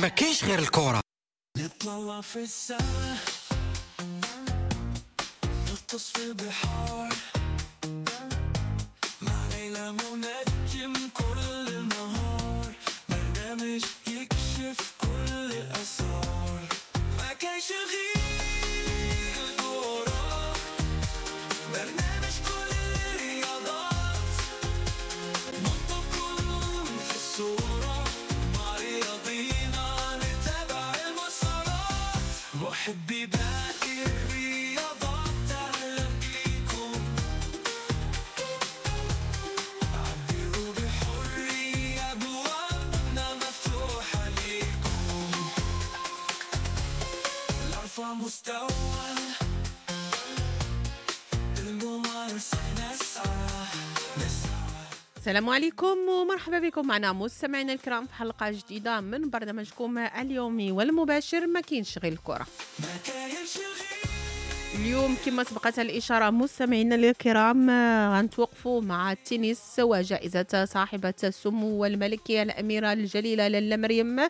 ما كاينش غير الكره. نطلع في السما، نغطس في البحار، مع ليلى منجم كل النهار، برنامج يكشف كل الأسرار. ما كاينش غير الكورة، برنامج كل الرياضات، نحطكم في الصورة، مع رياضينا نتابع المسارات. محبي باقي الرياضات أهلا بيكم، عبروا بحرية، أبوابنا مفتوحة ليكم. لأرفع مستوى الممارسة نسعى نسعى. السلام عليكم ومرحبا بكم معنا مستمعينا الكرام في حلقة جديدة من برنامجكم اليومي والمباشر ما كاينش غير الكرة. ما كاينش غير اليوم كما سبقت الإشارة مستمعينا الكرام، غنتوقفوا مع التنس وجائزة صاحبة السمو الملكية الأميرة الجليلة لاله مريم،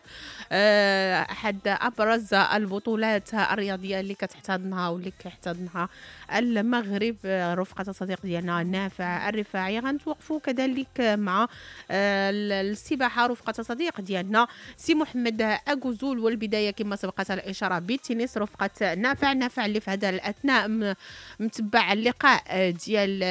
أحد أبرز البطولات الرياضية اللي كتحتضنها واللي كيحتضنها المغرب، رفقة الصديق ديالنا نافع الرفاعي. غنتوقفوا كذلك مع السباحة رفقة الصديق ديالنا سي محمد أكوزول، والبداية كما سبقت الإشارة بالتنس رفقة نافع. نافع اللي في هذا الأثناء متبع اللقاء ديال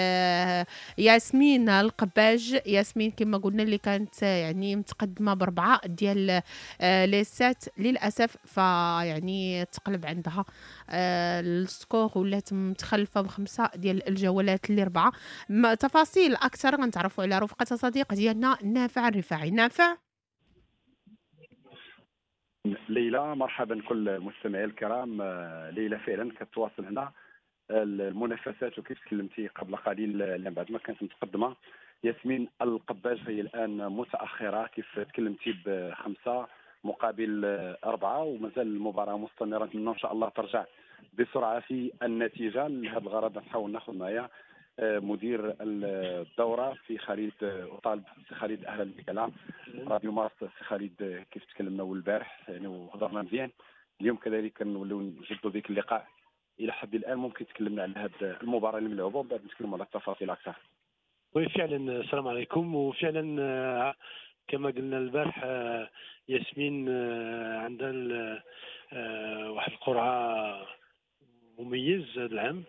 ياسمين القباج. ياسمين كما قلنا اللي كانت يعني متقدمة ب4 ديال les sets، للأسف فيعني تقلب عندها ال score ولات متخلفة ب5 ديال الجولات اللي 4. تفاصيل أكثر غنتعرفوا على رفقة صديق ديالنا نافع الرفاعي. نافع. ليلى مرحبا كل المستمعين الكرام. ليلى فعلا كتواصل هنا المنافسات، وكيف تكلمتي قبل قليل لأن بعد ما كانت متقدمة ياسمين القباج فهي الآن متأخرة كيف تكلمتي ب5 مقابل 4، ومازال المباراة مستمرة. نتمنى إن شاء الله ترجع بسرعة في النتيجة. لهذا الغرض نحاول ناخذ معايا مدير الدورة في خالد وطالب. سي خالد أهلا بك على راديو مارس. سي خالد كيف تكلمنا البارح يعني وهضرنا مزيان، اليوم كذلك نوليو نجدوا بك اللقاء. إلى حد الآن ممكن تكلمنا على هذه المباراة اللي ملعوبة ومن بعد نتكلموا على التفاصيل أكثر. وفعلا السلام عليكم. وفعلا كما قلنا البارح ياسمين عندها واحد القرعة مميز هذا العام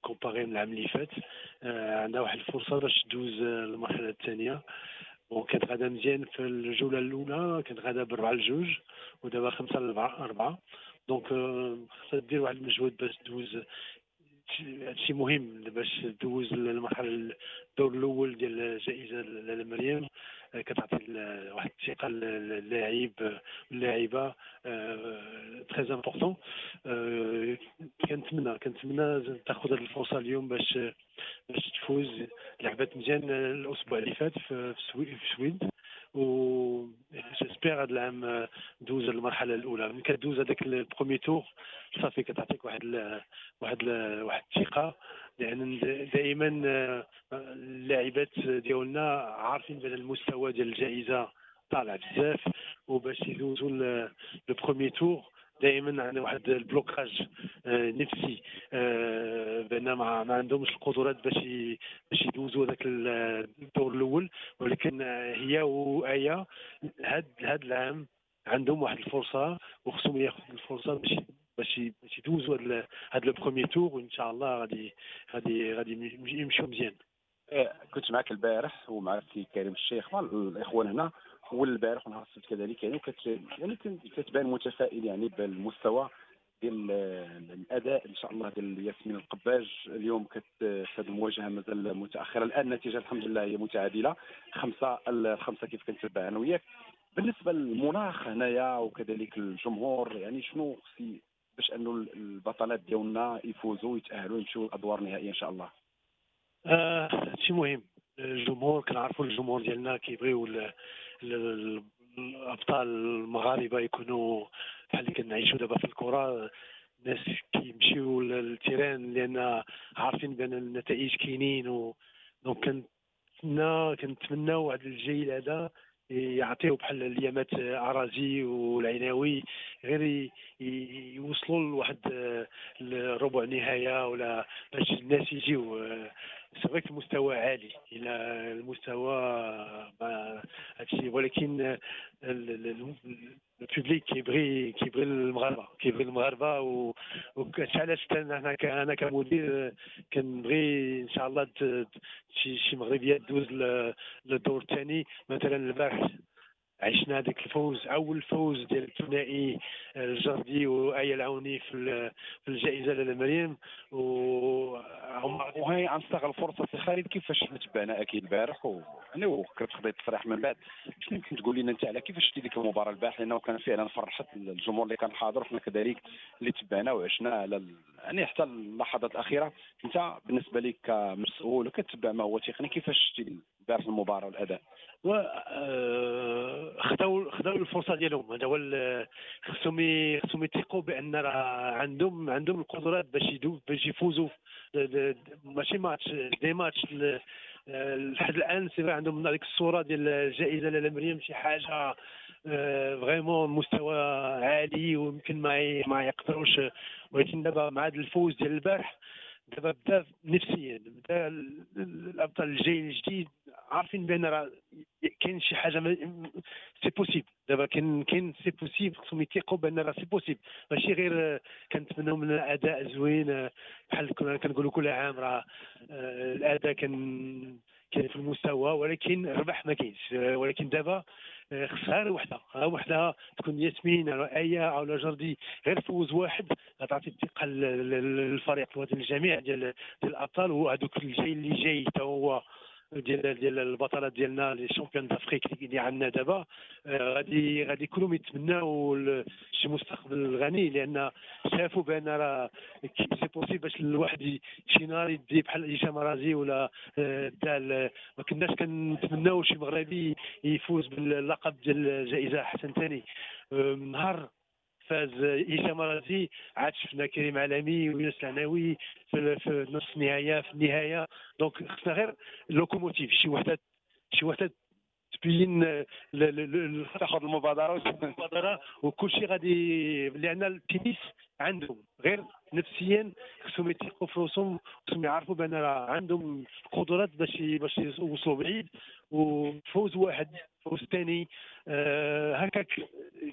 comparé من العام اللي فات، عندها واحد الفرصة باش تدوز المرحلة الثانية. وكانت غادا مزيان في الجولة الأولى، كانت غادا ب4-2 ودابا 5-4. donc خصها دير واحد المجهود باش تدوز. هادشي مهم باش تدوز المرحلة الدور الأول ديال الجائزة لاله مريم. كتعطي واحد الثقة للاعب واللاعبة، très important. كنتمنى تاخذ هذه الفرصة اليوم باش تفوز. لعبات مزيان الأسبوع اللي فات في السويد، و j'espère هذا العام دوز المرحلة الأولى. ملي كدوز هذاك ال premier tour صافي كتعطيك واحد الثقة، لأن دائما اللاعبات ديالنا عارفين بأن المستوى ديال الجائزة طالع بزاف، وباش يدوزوا le premier tour دائما عندنا واحد ال blocage نفسي، بان ما عندهمش القدرات باش يدوزوا هذاك الدور الاول. ولكن هي وآية هاد العام عندهم واحد الفرصة، وخصهم ياخذوا الفرصة باش يدوزوا هاد le premier tour، وان شاء الله غادي يمشيو مزيان. كنت معك البارح ومع سي كريم الشيخ والاخوان هنا، والبارح ونهار السبت كذلك، يعني كتبان متفائل يعني بالمستوى ديال الاداء ان شاء الله ديال ياسمين القباج. اليوم في هذه المواجهة مازال متاخرة، الان النتيجة الحمد لله هي متعادله 5-5 كيف كنتبع انا وياك. بالنسبة للمناخ هنايا وكذلك الجمهور، يعني شنو خص باش انه البطلات ديالنا يفوزوا ويتاهلوا يمشيو للادوار النهائية ان شاء الله؟ شي مهم الجمهور، كنعرفوا الجمهور ديالنا كيبغيو الابطال المغاربة يكونوا بحال اللي كنعيشوا دابا في الكره. الناس كيمشيو لل terrain لان عارفين بان النتائج كاينين، donc كنتمناو هذا الجيل هذا يعطيو بحال اليامات اراضي والعيناوي، غير يوصلوا لواحد الربع نهاية ولا باش الناس يجيو. c'est vrai المستوى عالي الى المستوى هادشي، ولكن ال public كيبغي المغاربة، كيبغي المغاربة. وهادشي علاش انا كمدير كنبغي ان شاء الله شي مغربيات دوز للدور الثاني. مثلا البارح عشنا هذاك الفوز، اول فوز ديال الثنائي الجردي وآية العوني في الجائزة لاله مريم. وهي غنستغل الفرصة سي خالد، كيفاش تبعنا اكيد البارح يعني وكنت خديت تصريح من بعد، شنو يمكن تقول لنا انت على كيفاش شتي ديك المباراة البارح؟ لانه كان فعلا فرحت الجمهور اللي كان حاضر، وحنا كذلك اللي تبعنا وعشنا على يعني حتى اللحظات الاخيرة. انت بالنسبة لك كمسؤول وكتبع ما هو تقني، كيفاش شتي البارح المباراة والاداء؟ خداو الفرصة ديالهم. هذا هو، خصهم يثقوا بان راه عندهم القدرات باش يفوزوا، ماشي match des matchs. لحد الان c'est عندهم هذيك الصورة ديال الجائزة لاله مريم شي حاجة vraiment مستوى عالي ويمكن ما يقدروش. ولكن دابا مع هذا الفوز ديال البارح دابا بدا نفسيا، بدا الابطال الجيل الجديد عارفين بان راه كاين شي حاجة c'est possible. دابا كاين c'est possible، خصهم يثيقوا بان راه c'est possible، ماشي غير كنتمناو من الاداء زوين بحال كنقولوا كل عام راه الاداء كان في المستوى، ولكن الربح ما كاينش. ولكن دابا خصها غير وحده تكون ياسمين او ايه او جردي، غير فوز واحد غتعطي الثقة للفريق للجميع ديال الابطال. وهذوك الجيل اللي جاي حتى هو ديال البطلات ديالنا les championnes d'Afrique اللي عندنا دابا، غادي كلهم يتمناو شي مستقبل غني، لان شافوا بان راه c'est possible باش الواحد شي نهار يدي بحال هشام رازي ولا دا. ما كناش كنتمناو شي مغربي يفوز باللقب ديال الجائزة حسن ثاني. نهار فاز هشام رازي عاد شفنا كريم علمي ويونس العناوي في نص النهاية في النهاية. donc خصنا غير locomotive، شي وحده تبين تاخذ المبادرة وكل شيء غادي، لان التنس عندهم غير نفسيا خصهم يثيقوا في راسهم، خصهم يعرفوا بان راه عندهم قدرات باش يوصلوا بعيد. وفوز واحد فوز ثاني هكاك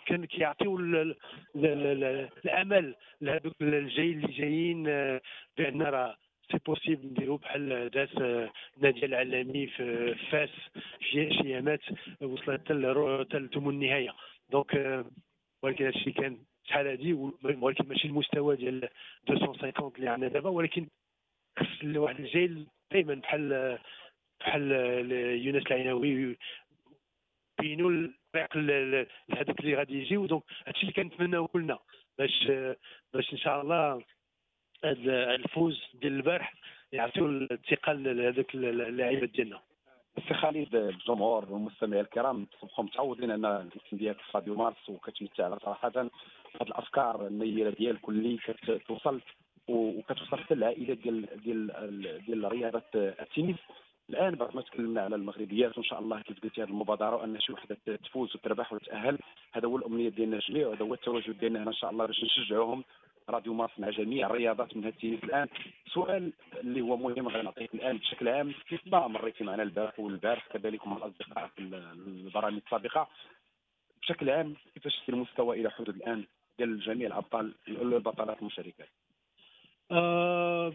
كان كيعطيو الامل لهذوك الجيل اللي جايين بان راه c'est possible نديرو بحال داس نادية العلامي في فاس في شي ايامات وصلت حتى لثمن النهاية. donc ولكن هادشي كان شحال هادي، ولكن ماشي المستوى ديال 250 اللي عندنا دابا. ولكن خص واحد الجيل دائما بحال يونس العيناوي بينوا الطريق لهذوك اللي غادي يجيو. donc هادشي اللي كنتمناو كلنا باش ان شاء الله هذا الفوز ديال البارح يعطيو الثقة لهذوك اللاعبات ديالنا. سي خالد، الجمهور والمستمعين الكرام صبحوا متعودين ان الاسم ديالك في راديو مارس، وكتمتع على صراحة هذه الافكار النيره ديالك اللي كتوصل وكتوصل حتى للعائلات ديال ديال ديال رياضة التنس. الان بعد ما تكلمنا على المغربيات، وان شاء الله كيف قلتي هذه المبادرة وان شي وحده تفوز وتربح وتتاهل، هذا هو الامنية ديالنا جميع، وهذا هو التواجد ديالنا هنا ان شاء الله باش نشجعوهم. راديو مارس مع جميع الرياضات من التنس. الان سؤال اللي هو مهم غنعطيك الان بشكل عام، كيف ما مريتي معنا البارح والبارح كذلك مع الاصدقاء في البرامج السابقة، بشكل عام كيفاش شفتي المستوى الى حدود الان ديال جميع الابطال البطلات المشاركات؟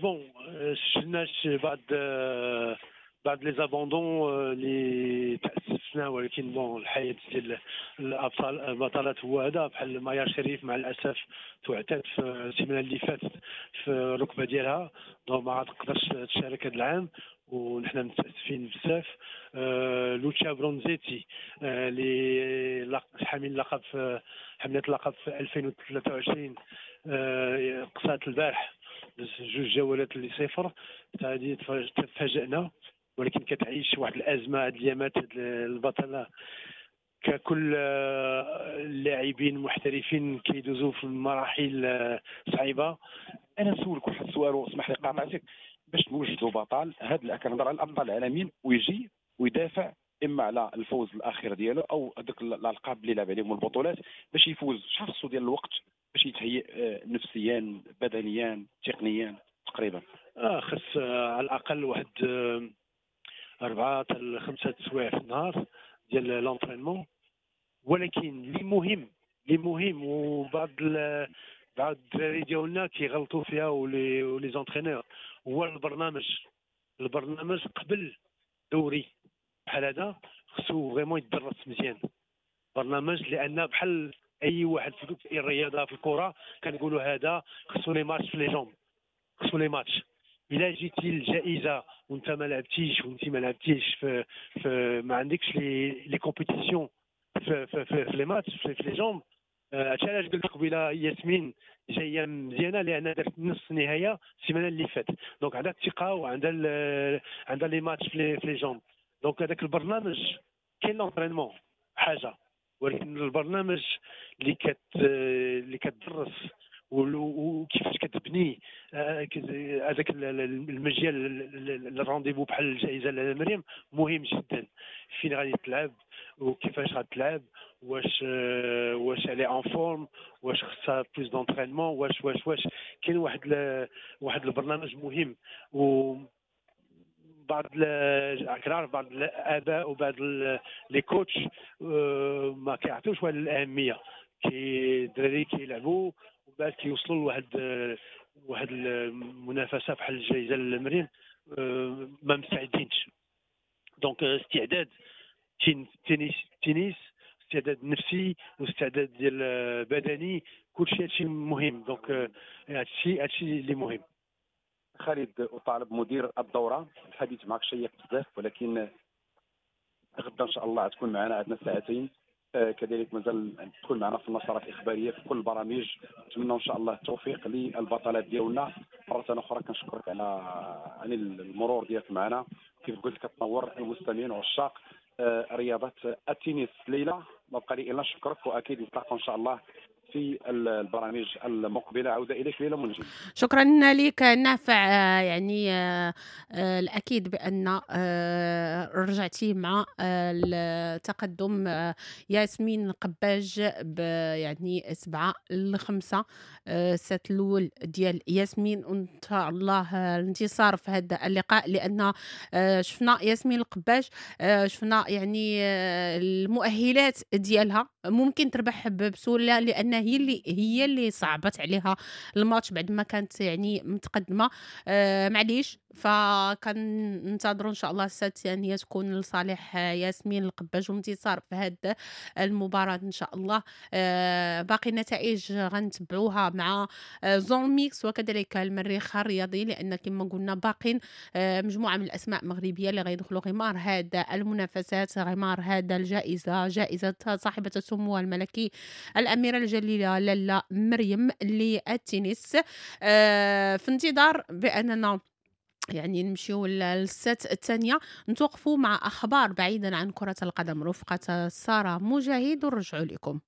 bon شفنا بعض les abandons اللي تاسفنا، ولكن bon الحياة ديال الابطال البطلات هو هذا. بحال مايا شريف مع الاسف توعتات في السيمانة اللي فاتت في الركبة ديالها، donc ما تقدرش تشارك هذا العام ونحن متاسفين بزاف. لوتشا برونزيتي اللي حامل اللقب في حمله اللقب في 2023 قصات البارح جوج جولات اللي صفر، هذه تفاجئنا، ولكن كتعيش واحد الازمة هاد الايامات البطلة ككل اللاعبين المحترفين كيدوزوا في مراحل صعيبة. انا نسولك واحد السؤال واسمح لي قاطعتك، باش نوجدوا بطل هاد كنهضر على الابطال العالميين ويجي ويدافع اما على الفوز الاخير ديالو او هذوك الالقاب اللي لعب عليهم البطولات باش يفوز؟ شحال خصو ديال الوقت باش يتهيئ نفسيا، بدنيا، تقنيا تقريبا؟ خص على الاقل واحد 4 حتى 5 سوايع في النهار ديال l'entraînement. ولكن اللي مهم وبعض الدراري ديالنا كيغلطوا فيها و les entraîneurs، هو البرنامج قبل دوري بحال هذا خصو vraiment يدرس مزيان برنامج، لان بحال اي واحد في الرياضة في الكره كنقولوا هذا خصو les matchs في les jambes، خصو les matchs. الا جيتي الجائزة وانت ما لعبتيش، وانت ما لعبتيش في ما عندكش les compétitions في في في les matchs في les jambes. هادشي علاش قلت قبيلة ياسمين جاية مزيانه، لان دارت نص نهاية السيمانة اللي فاتت، donc عندها الثقة وعندها عندها les matchs في les jambes. donc هذاك البرنامج كاين l'entraînement حاجة، ولكن البرنامج اللي كتدرس وكيفاش كتبني هذاك المجال ال rendez-vous بحال الجائزة لمريم مهم جدا، فين غادي تلعب وكيفاش غتلعب، واش elle est en forme، واش خصها plus d'entraînement، واش واش واش كاين واحد البرنامج مهم. و بعض كنعرف بعض الاباء وبعض les coachs ما كيعطيوش واحد الاهمية، كي الدراري كيلعبوا وبعد كيوصلوا لواحد المنافسة بحال الجائزة للمريم ما مستعدينش. donc استعداد تنس، استعداد نفسي واستعداد ديال بدني، كلشي هادشي مهم. donc هادشي اللي مهم. خالد وطالب مدير الدورة، الحديث معك شيق بزاف، ولكن غدا ان شاء الله تكون معنا، عندنا ساعتين، كذلك مازال تكون معنا في النشرات الاخبارية في كل البرامج. نتمنى ان شاء الله التوفيق للبطلات ديالنا. مرة اخرى كنشكرك على المرور ديالك معنا، كيف قلت كتنور المستمعين وعشاق رياضة التنس. ليلى ما بقى لي الا نشكرك، واكيد نتلاقاو ان شاء الله في البرامج المقبلة. عوده اليك ليلى منجم. شكرا لك نافع. يعني الاكيد بان رجعتي مع التقدم ياسمين قباج يعني 7-5 ال set الاول ديال ياسمين، وان شاء الله الانتصار في هذا اللقاء، لان شفنا ياسمين القباج، شفنا يعني المؤهلات ديالها ممكن تربح بسهولة، لان هي اللي صعبت عليها الماتش بعد ما كانت يعني متقدمة. معليش، فكننتظروا ان شاء الله ال set الثانية تكون لصالح ياسمين القباج وانتصار في هذه المباراة ان شاء الله. باقي النتائج غنتبعوها مع zone mixte وكذلك المريخ الرياضي، لان كما قلنا باقين مجموعة من الاسماء المغربية اللي غيدخلوا غمار هذا المنافسات، غمار هذا الجائزة، جائزة صاحبه السمو الملكي الاميرة الجليلة لاله مريم للتنس. في انتظار باننا يعني نمشيو لل set الثانية، نتوقفوا مع أخبار بعيدا عن كرة القدم رفقة سارة مجاهد، ونرجعوا لكم.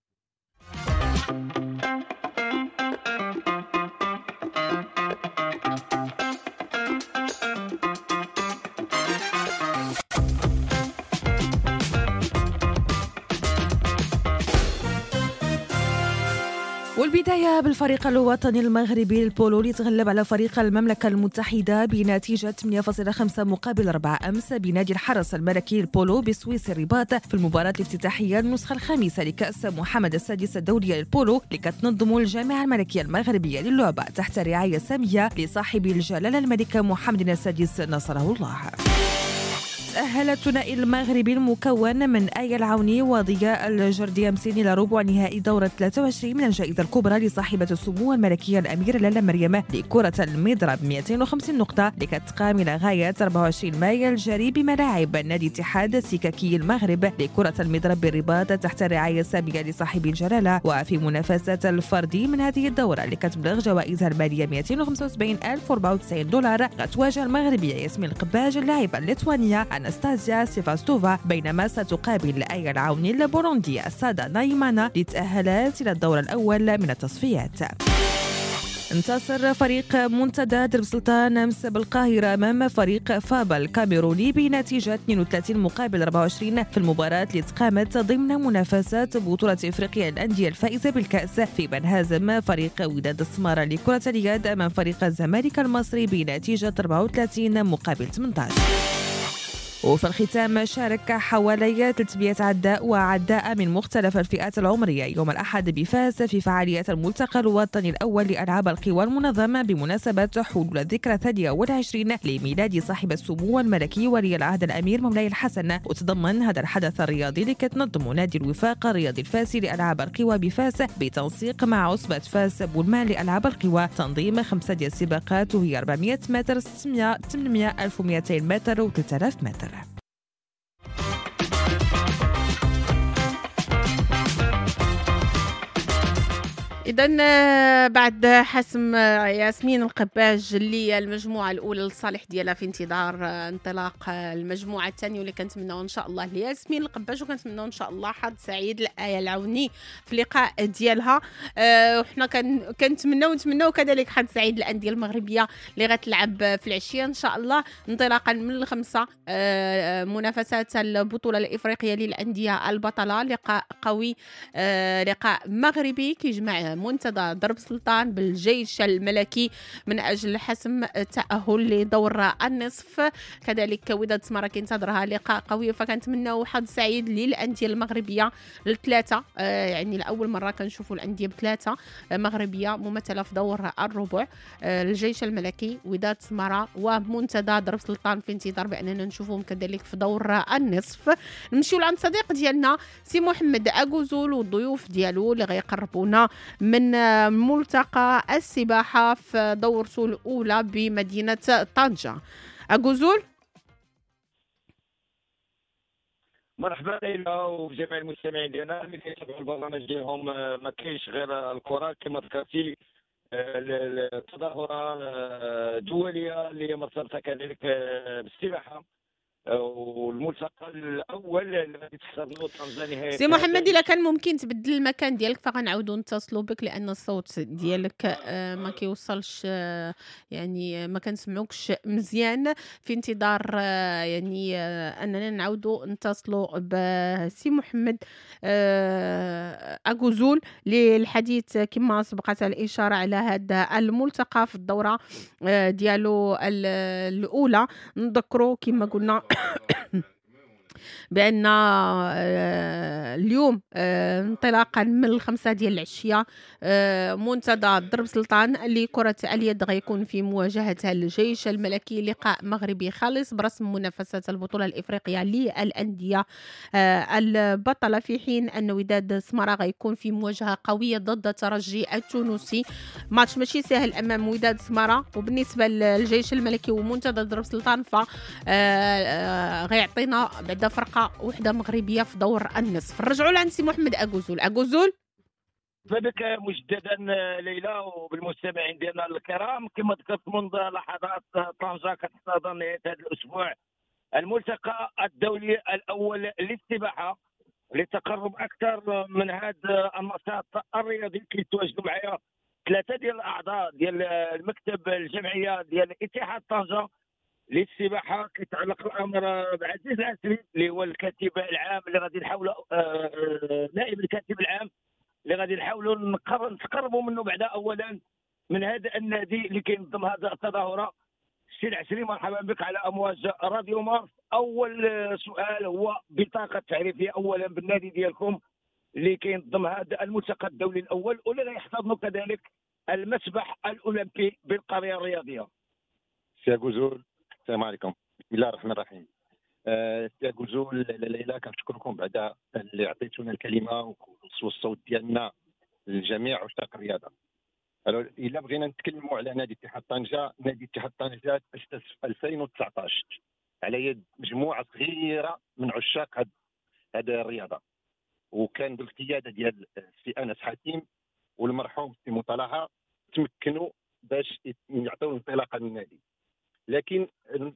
والبداية بالفريق الوطني المغربي للبولو اللي تغلب على فريق المملكة المتحدة بنتيجة 8.5 مقابل 4 أمس بنادي الحرس الملكي للبولو بسويس الرباط في المباراة الافتتاحية النسخة الخامسة لكأس محمد السادس الدولية للبولو اللي كتنظم الجامعة الملكية المغربية للعبة تحت رعاية سامية لصاحب الجلالة الملك محمد السادس نصره الله. تأهل الثنائي المغربي المكون من آية العوني وضياء الجردي أمس إلى ربع نهائي دورة 23 من الجائزة الكبرى لصاحبة السمو الملكية الأميرة لاله مريم لكرة المضرب 250 نقطة اللي كتقام إلى غاية 24 مايو الجاري بملاعب نادي اتحاد السككي المغرب لكرة المضرب بالرباط تحت الرعاية السامية لصاحب الجلالة. وفي منافسة الفردي من هذه الدورة اللي كتبلغ جوائزها المالية 275,094 دولار غتواجه المغربية ياسمين القباج اللاعبة الليتوانية أناستازيا سيفاستوفا، بينما ستقابل آية العوني البوروندية سادا نايمانا اللي تأهلت إلى الدور الأول من التصفيات. انتصر فريق منتدى درب سلطان أمس بالقاهرة أمام فريق فابا الكاميروني بنتيجة 32 مقابل 24 في المباراة اللي تقامت ضمن منافسات بطولة إفريقيا للأندية الفائزة بالكأس، في انهزم فريق وداد السمارة لكرة اليد أمام فريق الزمالك المصري بنتيجة 34 مقابل 18. وفي الختام شارك حوالي 300 عداء وعداء من مختلف الفئات العمرية يوم الأحد بفاس في فعاليات الملتقى الوطني الأول لألعاب القوى المنظمة بمناسبة حلول الذكرى 22 لميلاد صاحب السمو الملكي ولي العهد الأمير مولاي الحسن. وتضمن هذا الحدث الرياضي اللي كتنظم نادي الوفاق الرياضي الفاسي لألعاب القوى بفاس بتنسيق مع عصبة فاس بولمان لألعاب القوى تنظيم 5 ديال السباقات، وهي 400 متر، 600، 800، 1200 متر و 3000 متر. إذا بعد حسم ياسمين القباج اللي المجموعة الأولى للصالح ديالها في انتظار انطلاق المجموعة الثانية، واللي كنتمناو إن شاء الله لياسمين القباج، وكنتمناو إن شاء الله حظ سعيد لآية العوني في اللقاء ديالها. وحنا كنتمناو نتمناو كذلك حظ سعيد للأندية المغربية اللي غتلعب في العشية إن شاء الله انطلاقا من 5 منافسات البطولة الإفريقية للأندية البطلة. لقاء قوي، لقاء مغربي كيجمع منتدى درب سلطان بالجيش الملكي من أجل حسم التأهل لدور النصف. كذلك وداد سمارة كينتظرها لقاء قوي، فكنتمناو حظ سعيد للأندية المغربية الثلاثة. يعني لأول مرة كنشوفوا الأندية بثلاثة مغربية ممثلة في دور الربع، الجيش الملكي، وداد سمارة، ومنتدى درب سلطان، في انتظار بأننا نشوفهم كذلك في دور النصف. نمشيو لعند صديق ديالنا سي محمد أكوزول والضيوف ديالو اللي غيقربونا من ملتقى السباحة في دورته الأولى بمدينة طنجة. أكوزول، مرحبا ليلى وجميع المستمعين ديالنا اللي كيتابعوا البرنامج ديالهم. ما كاينش غير الكرة كما ذكرتي، التظاهرة الدولية اللي مرتبطة كذلك بالسباحة والملتقى الاول اللي غادي تحتضنو طنجة. سي محمد، الا كان ممكن تبدل المكان ديالك فغنعاودو نتصلوا بك، لان الصوت ديالك ما كيوصلش، يعني ما كنسمعوكش مزيان. في انتظار يعني اننا نعاودو نتصلوا بسي محمد أكوزول للحديث كما سبقت الاشارة على هذا الملتقى في الدورة ديالو الاولى. نذكروا كما قلنا بأن اليوم انطلاقا من 5 ديال العشية منتدى درب سلطان لكرة اليد غيكون في مواجهة الجيش الملكي، لقاء مغربي خالص برسم منافسة البطولة الإفريقية للأندية البطلة، في حين أن وداد سمارة غيكون في مواجهة قوية ضد الترجي التونسي. ماتش ماشي سهل أمام وداد سمارة. وبالنسبة للجيش الملكي ومنتدى درب سلطان ف غيعطينا بعد فرقة وحدة مغربية في دور النصف. نرجعوا لعند سي محمد أكوزول. أكوزول، بك مجددا ليلى وبالمستمعين ديالنا الكرام. كما ذكرت منذ لحظات، طنجة كتحتضن نهاية هذا الأسبوع الملتقى الدولي الأول للسباحة للتقرب أكثر من هذا النشاط الرياضي. كيتواجدوا معايا 3 ديال الأعضاء ديال المكتب الجمعية ديال اتحاد طنجة للسباحه. كيتعلق الامر بعزيز العسري اللي هو الكاتب العام اللي غادي نحاولوا، نائب الكاتب العام اللي غادي نحاولوا نتقربوا منه بعدا اولا من هذا النادي اللي كينظم هذا التظاهرة. السي العسري، مرحبا بك على امواج راديو مارس. اول سؤال هو بطاقة تعريفية اولا بالنادي ديالكم اللي كينظم هذا الملتقى الدولي الاول واللي غيحتضنوا كذلك المسبح الاولمبي بالقريه الرياضية. سي أكوزول، السلام عليكم. بسم الله الرحمن الرحيم. سي أكوزول، ليلى، كنشكركم بعدا اللي عطيتونا الكلمة والصوت ديالنا للجميع عشاق الرياضة. الا بغينا نتكلموا على نادي اتحاد طنجه، نادي اتحاد طنجه تاسس في 2019 على يد مجموعة صغيرة من عشاق هذه الرياضة، وكان بالقيادة ديال السي انس حاتم والمرحوم السي مطلعه، تمكنوا باش يعطيو انطلاقة للنادي. لكن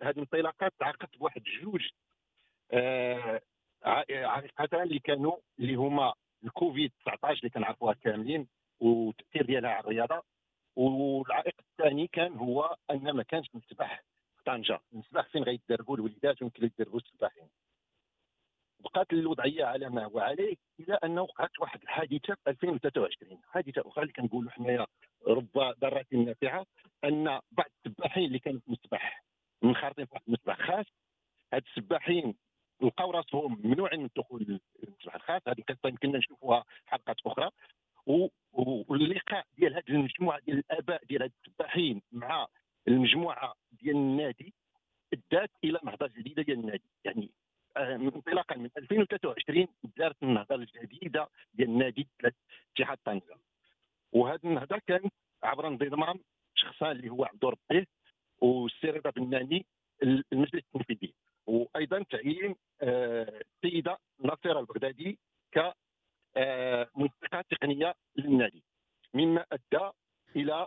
هذه الانطلاقات تعاقبت بواحد جوج عائقتان اللي كانوا، اللي هما الكوفيد 19 اللي كنعرفوها كاملين والتاثير ديالها على الرياضة، والعائق الثاني كان هو ان ما كانش مسبح في طنجه، المسبح فين غيدربوا الوليدات ويمكن يدربوا السباحين. بقات الوضعية على ما هو عليه الى ان وقعت واحد الحادثة في 2023، حادثه اخرى اللي كنقولوا حنايا رب ضارة نافعة، ان بعض السباحين اللي كانوا في المسبح منخرطين في واحد المسبح خاص، هاد السباحين لقاو راسهم ممنوعين من الدخول للمسبح الخاص. هذه القصة يمكننا نشوفوها في حلقات اخرى. واللقاء ديال هذه المجموعة ديال الاباء ديال هاد السباحين مع المجموعة ديال النادي ادات الى نهضة جديدة ديال النادي. يعني انطلاقا من 2023 دارت النهضة الجديدة ديال النادي اتحاد طنجه، وهذه النهضة كانت عبر انضمام شخصان اللي هو عبد ربيه والسي رضا بناني المجلس التنفيذي، وايضا تعيين السيدة نصيره البغدادي ك منسقة تقنية للنادي، مما ادى الى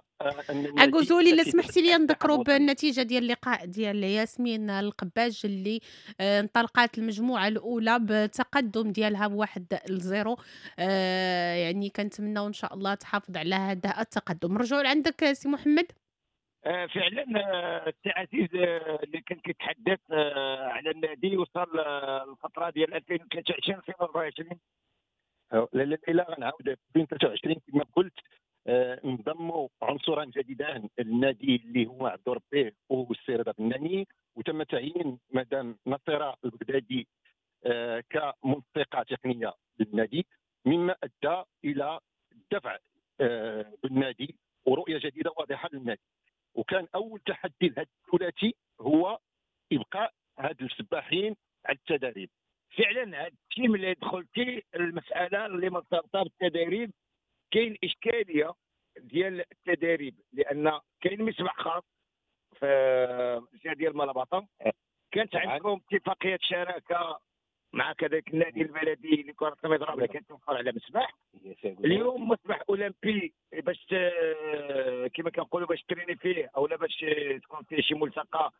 ان أكوزولي. الا سمحتي لي نذكروا بالنتيجة ديال اللقاء ديال ياسمين القباج اللي انطلقت المجموعة الاولى بتقدم ديالها ب1-0. يعني كنتمناو ان شاء الله تحافظ على هذا التقدم. رجعوا لعندك سي محمد. فعلا السي عزيز اللي كان كيتحدث على النادي وصل الفترة ديال 2023 2024. لا لا غنعاود 2023 كما قلت، انضموا عنصران جديدان للنادي اللي هو عبد ربيه والسي رضا بناني، وتم تعيين مدام نصيره البغدادي كمنسقه تقنية للنادي، مما ادى الى الدفع بالنادي ورؤية جديدة واضحة للنادي. وكان اول تحدي لهذا الثلاثي هو ابقاء هاد السباحين على التدريب. فعلا هذا الشيء ملي دخلتي المسالة اللي مرتبطة بالتدريب، كاين اشكالية ديال التدريب، لان كاين مسبح خاص في الجهة ديال مالاباطا، كانت عندكم اتفاقية شراكة مع كذلك النادي البلدي لكرة المضرب اللي كتوفر على مسبح. اليوم مسبح اولمبي باش كما كنقولوا باش تريني فيه او لا باش تكون فيه شي ملتقى،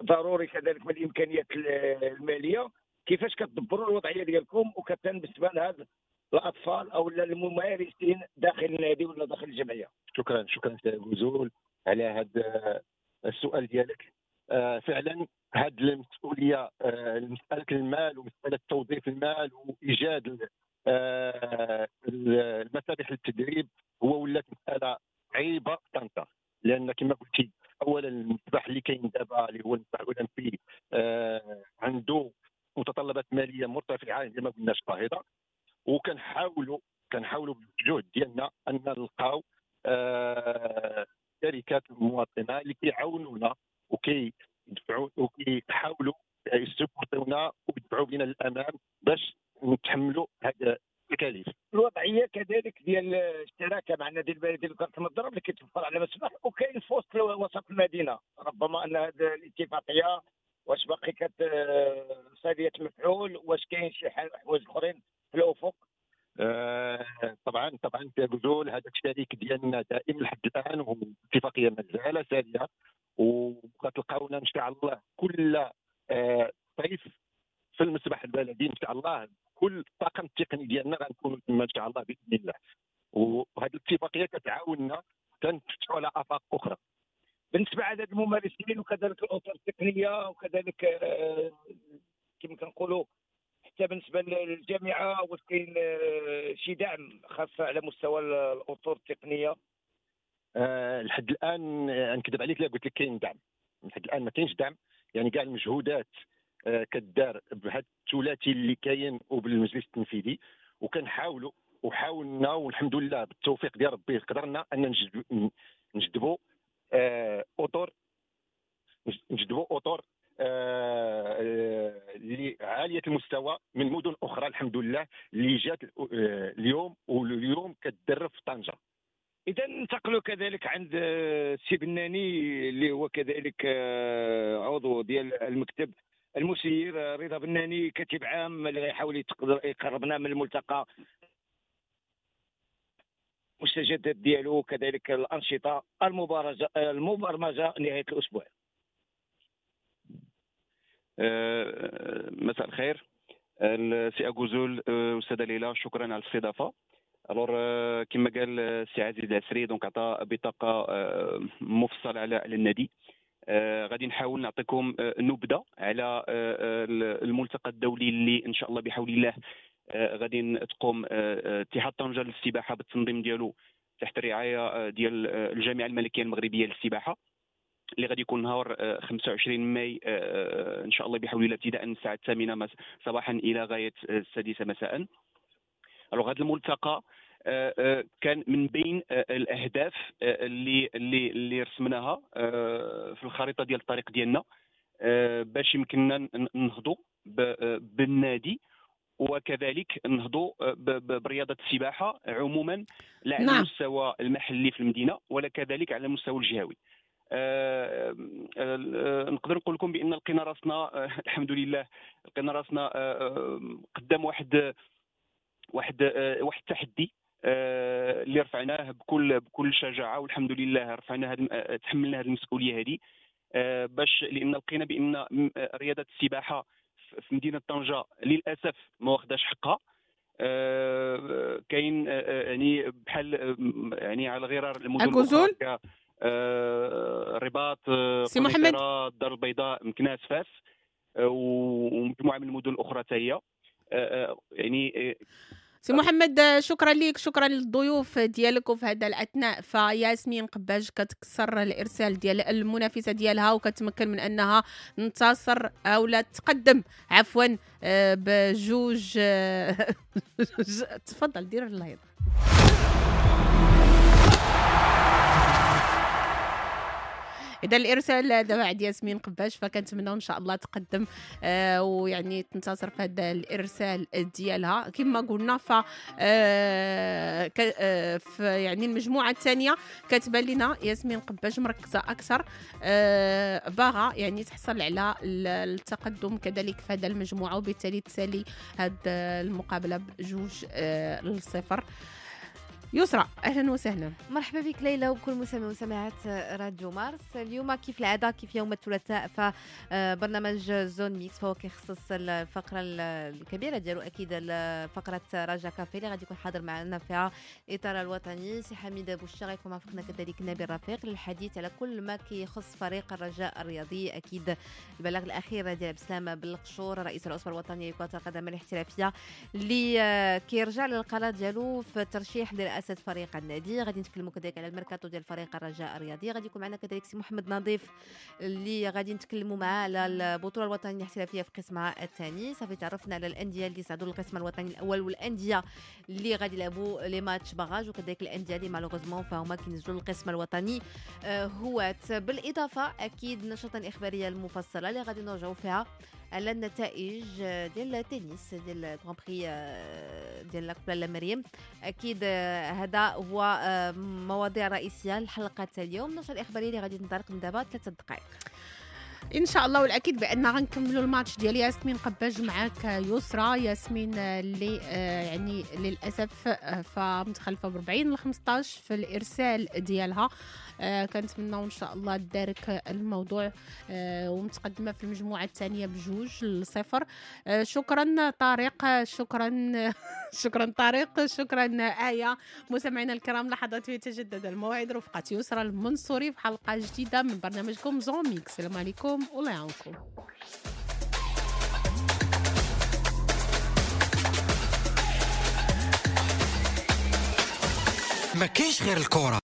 ضروري كذلك من الامكانيات المالية. كيفاش كتدبروا الوضعية ديالكم وكتن بالنسبة لهاد الاطفال او الممارسين داخل النادي ولا داخل الجمعية؟ شكرا شكرا سي غزول على هذا السؤال ديالك. فعلا هذه المسؤولية، مسالة المال ومسالة توظيف المال وايجاد المسابح للتدريب، هو ولات مسالة عيبه طنطا، لان كما قلتي اولا المسبح اللي كاين دابا اللي هو المسبح الاولمبي عنده متطلبات ماليه مرتفعة اللي ما قلناش باهظه، وكنحاولوا بالجهد ديالنا ان نلقاو شركات المواطنة اللي كيعاونونا وكيدفعوا وكيحاولوا يسبورتونا ويدفعوا بنا للامام باش نتحملوا هذا التكاليف. الوضعية كذلك ديال الشراكة مع النادي البلدي لكرة المضرب اللي كيتوفر على مسبح وكاين في وسط المدينة، ربما ان هذه الاتفاقية واش باقي كتساليه المفعول، واش كاين شي حوايج اخرين في الافق؟ طبعا طبعا تقول هذا الشريك ديالنا دائم لحد الان، والاتفاقيه مازال ساريه، وغتلقاونا ان شاء الله كل صيف في المسبح البلدي ان شاء الله، كل الطاقم التقني ديالنا غنكونوا تما ان شاء الله باذن الله. وهذه الاتفاقية كتعاوننا كنفتحوا على افاق اخرى بالنسبة لعدد الممارسين وكذلك الاطر التقنية وكذلك كما كنقولوا حتى بالنسبة للجامعة، واش كاين شي دعم خاص على مستوى الاطر التقنية؟ لحد الان نكذب عليك لا قلت لك كاين دعم، لحد الان ما كاينش دعم، يعني كاع المجهودات كدار بهذا الثلاثي اللي كاين وبالمجلس التنفيذي، وكنحاولوا وحاولنا والحمد لله بالتوفيق ديال ربي قدرنا ان نجذبوا اطر اطر اللي عالية المستوى من مدن اخرى الحمد لله اللي جات اليوم، واليوم كتدرب في طنجه. اذا ننتقلوا كذلك عند السي بناني اللي هو كذلك عضو ديال المكتب المسير، رضا بناني كاتب عام اللي غيحاول يقربنا من الملتقى المستجدات ديالو كذلك الانشطة المبرمجه نهاية الاسبوع. مساء الخير السي أكوزول، أستاذة ليلى، شكرا على الاستضافة. alors كما قال السي عزيز العسري donc عطى بطاقة مفصلة على النادي. غادي نحاول نعطيكم نبذه على الملتقى الدولي اللي ان شاء الله بحول الله غادي تقوم اتحاد طنجه للسباحه بالتنظيم ديالو تحت الرعاية ديال الجامعة الملكية المغربية للسباحه، اللي غادي يكون نهار 25 ماي ان شاء الله بحول الله ابتداء من الساعة 8 صباحا الى غاية 6 مساء. alors هذا الملتقى كان من بين الاهداف اللي اللي اللي رسمناها في الخريطة ديال الطريق ديالنا باش يمكننا ننهضوا بالنادي وكذلك نهضوا برياضة السباحة عموما، لا على المستوى المحلي في المدينة ولا كذلك على المستوى الجهوي. نقدر نقول لكم بان لقينا راسنا الحمد لله، لقينا راسنا قدام واحد واحد واحد التحدي اللي رفعناه بكل شجاعة، والحمد لله رفعنا تحملنا هذه المسؤولية هذه، باش لان لقينا بان رياضة السباحة في مدينة طنجه للاسف ما واخداش حقها. كاين يعني بحال يعني على غرار المدن الاخرى الرباط، قنيطرة، الدار البيضاء، مكناس، فاس، ومجموعة من المدن الاخرى حتى هي. يعني سي محمد شكرا لك، شكرا للضيوف ديالك. وفي هذا الاثناء فياسمين قباج كتكسر الارسال ديال المنافسة ديالها وكتمكن من انها تنتصر او لا تقدم عفوا بجوج. تفضل دير اللايف. اذا الارسال دابا عند ياسمين قباش، فكنتمناو ان شاء الله تقدم ويعني تنتصر في هذا الارسال ديالها. كما قلنا ف يعني المجموعة الثانية كتبان لنا ياسمين قباش مركزه اكثر، باغا يعني تحصل على التقدم كذلك في هذا المجموعة، وبالتالي تسالي هذه المقابلة ب2-0. يسرى اهلا وسهلا، مرحبا بك ليلى وكل مستمع ومستمعات راديو مارس. اليوم كيف العادة كيف يوم الثلاثاء فبرنامج Zone Mixte فهو كيخصص الفقرة الكبيرة ديالو اكيد فقره رجا كافي اللي غادي يكون حاضر معنا فيها الاطار الوطني سي حميد بوشا، غيكون معنا كذلك نبيل رفيق للحديث على كل ما كيخص فريق الرجاء الرياضي. اكيد البلاغ الاخير ديال عبد السلام بالقشور رئيس العصبة الوطنية لكرة القدم الاحترافية اللي كيرجع للقرار ديالو في الترشيح لرئاسة فريق النادي. غادي نتكلموا كذلك على الميركاتو ديال فريق الرجاء الرياضي. غادي يكون معنا كذلك سي محمد نظيف اللي غادي نتكلموا معاه على البطولة الوطنية الاحترافية في قسمها الثاني. صافي تعرفنا على الاندية اللي صعدوا للقسم الوطني الاول والاندية اللي غادي يلعبوا les matchs barrages، وكذلك الاندية اللي malheureusement فهما كينزلوا للقسم الوطني هوات. بالاضافة اكيد النشرة الاخبارية المفصلة اللي غادي نرجعوا فيها على النتائج ديال التنس ديال Grand Prix ديال la coupe لاله مريم. اكيد هذا هو مواضيع رئيسية لحلقة اليوم. النشرة الاخبارية اللي غادي تنطلق من دابا 3 دقائق ان شاء الله، والاكيد بان غنكملوا الماتش ديال ياسمين قباج معاك يسرى. ياسمين اللي يعني للاسف فمتخلفه ب 40-15 في الارسال ديالها. كنتمناو ان شاء الله تدارك الموضوع ومتقدمه في المجموعة الثانية 2-0. شكرا طارق، شكرا شكرا طارق، شكرا آية. مستمعينا الكرام لحظات يتجدد الموعد رفقه يسرى المنصوري في حلقة جديدة من برنامجكم Zone Mixte. السلام عليكم والله يعاونكم. ما كاينش غير الكرة.